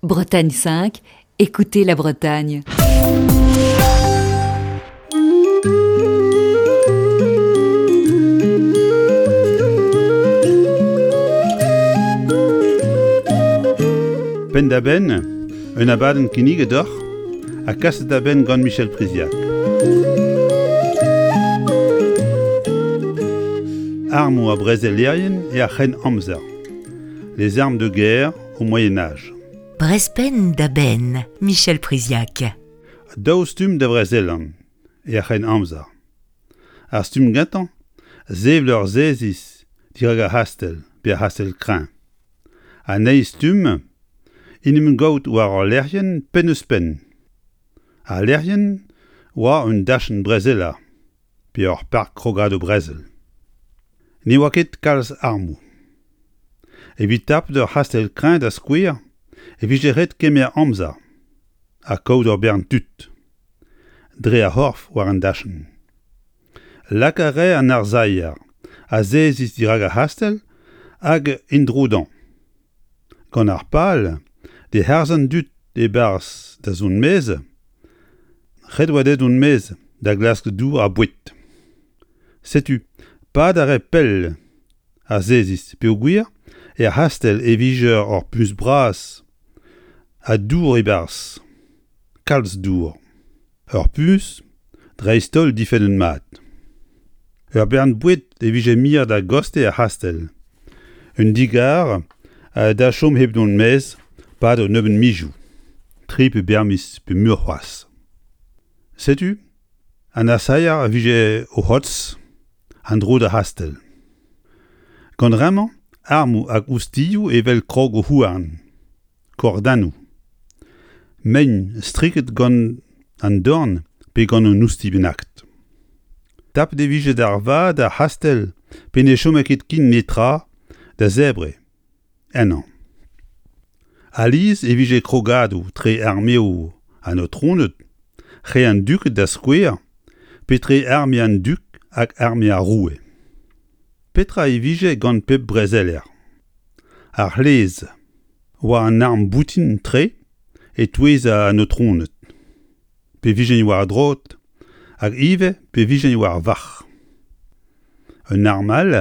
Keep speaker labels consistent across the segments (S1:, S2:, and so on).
S1: Bretagne 5, écoutez la Bretagne.
S2: Penn-da-benn, un abadenn kinniget deoc'h ha kaset da benn gant Michel Priziac. Armoù ha brezelerien er c'hrenn-amzer. Les armes de guerre au Moyen Âge.
S1: Brezpenn da benn, Michel Priziac.
S2: Daou stumm da vrezelan er c'hrenn-amzer. Ar stumm gentañ, sevel ur seziz dirak ar c'hastell pe ar c'hastell-kreñv. An eil stumm, en em gaout war ul lec'hienn penn-ouzh-penn. Al lec'hienn oa un dachenn brezelañ pe ur park krogadoù brezel. Ne oa ket kalz armoù. Evit tapout ur c'hastell-kreñv da skouer e vije ret kemer amzer ha kaout ur bern tud dre ar c'horf war an dachenn. Lak a rae an arsailher azeziñ dirak ar c'hastell hag en-dro dezhañ. Gant ar pal d'e harz an dud e-barzh da zont maez, ret oa dezhe dont maez da glask dour ha boued. Setu pad a rae pell ar seziz peogwir er c'hastell e vije ur puñs bras ha dour e-barzh, kalz dour. Ur puñs, dreist-holl difennet mat. Ur bern boued e vije miret a-gostez ar c'hastell. Un digar da chom hep dont maez 'pad un nebeud mizioù, tri pe bern miz pe muioc'h c'hoazh. Setu an arsailher a vije o c'hotz an dro d'ar c'hastell. Gant bremañ armoù hag oustilhoù evel krogoù-houarn. Kordennoù. Mein striket gant an dorn pe gant un oustilh bennaket. Tapet e vije d'ar vat ar c'hastell pe ne chome ket ken netra da zebriñ ennañ. Alies e vije krogadoù tre armeoù an aotroned, re an duked da skouer, pe tre arme an dug hag arme ar roue. Petra e vije gant pep brezeler? Ar c'hleze oa an arm boutin-tre e-touez an aotroned, pe vijent war droad hag ivez pe vijent war varc'h. Un arm all,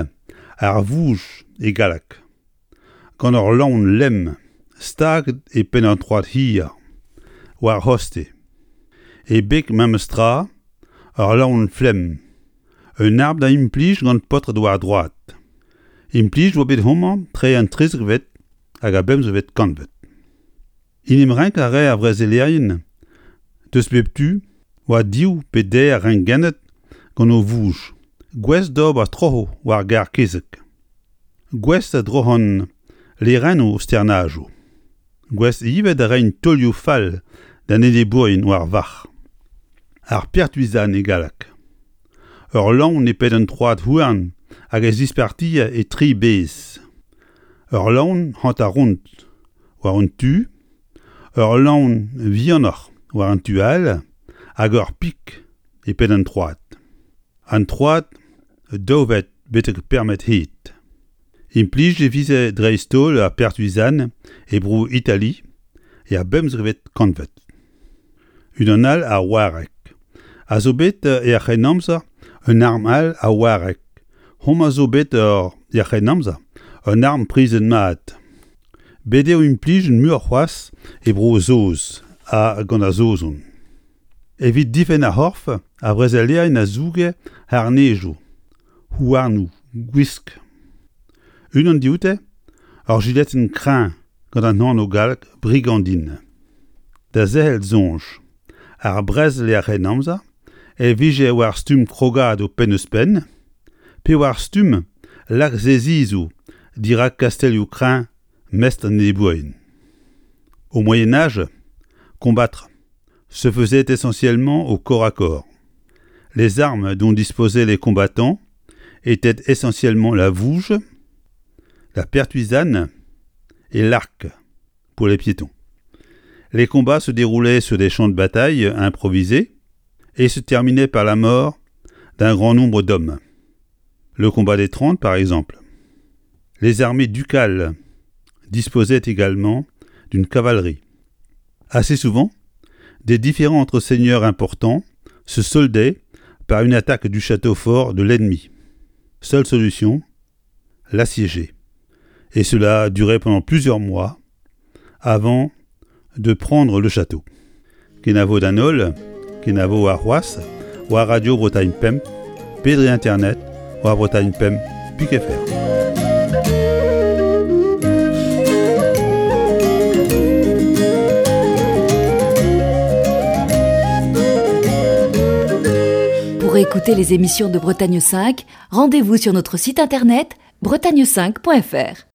S2: ar vouj e galleg, gant ur lann lemm staget e penn an troad hir, war c'hoste. E beg memes tra, ur lann flemm, un arm da implij gant paotred war droad. Implij oa bet homañ tre an trizekvet hag ar bemzekvet kantved. En em renk a rae ar vrezelerien deus bep tu war div pe deir rengennad gant o vouj, gouest d'ober troc'hoù war garr-kezeg, gouest da droc'han lerennoù o sternajoù, gouest ivez da reiñ taolioù fall d'an enebourien war varc'h. Ar pertuisan e galleg. Ur lann e penn un troad houarn hag e zispartier e tri bezh. Ur lann hanter-ront war un tu, ur lann vihanoc'h war an tu all hag ur pik e penn an troad. An troad daou vet betek pemp hed. Implijet e veze dreist-holl ar pertuisan e Bro-Itali er bemzekvet kantved. Unan all a wareg a zo bet er C'hrennamzer un arm all a wareg. Homañ zo bet er C'hrennamzer un arm prizet mat. Bet eo implijet muioc'h c'hoazh e Bro-Saoz ha gant ar Saozon. Evit difenn ar c'horf, ar vrezelerien a zouge harnezoù, houarnoù, gwisk. Unan dioute, ur jiletenn kreñv gant an anv gallek brigandine. Da zerc'hel soñj, ar brezel er C'hrennamzer e vije war stumm krogadoù penn-ouzh-penn pe war stumm laksezizoù dirak kastellioù-kreñv mestr an enebourien. Au Moyen Âge, combattre se faisait essentiellement au corps à corps. Les armes dont disposaient les combattants étaient essentiellement la vouge, la pertuisane et l'arc pour les piétons. Les combats se déroulaient sur des champs de bataille improvisés et se terminaient par la mort d'un grand nombre d'hommes. Le combat des Trente, par exemple. Les armées ducales disposaient également d'une cavalerie. Assez souvent, des différends entre seigneurs importants se soldaient par une attaque du château fort de l'ennemi. Seule solution, l'assiéger. Et cela durait pendant plusieurs mois avant de prendre le château. Kenavo d'an holl, kenavo warc'hoazh, war Radio Bretagne Pemp, pe dre internet war Bretagne Pemp pik fr.
S1: Pour écouter les émissions de Bretagne 5, rendez-vous sur notre site internet bretagne5.fr.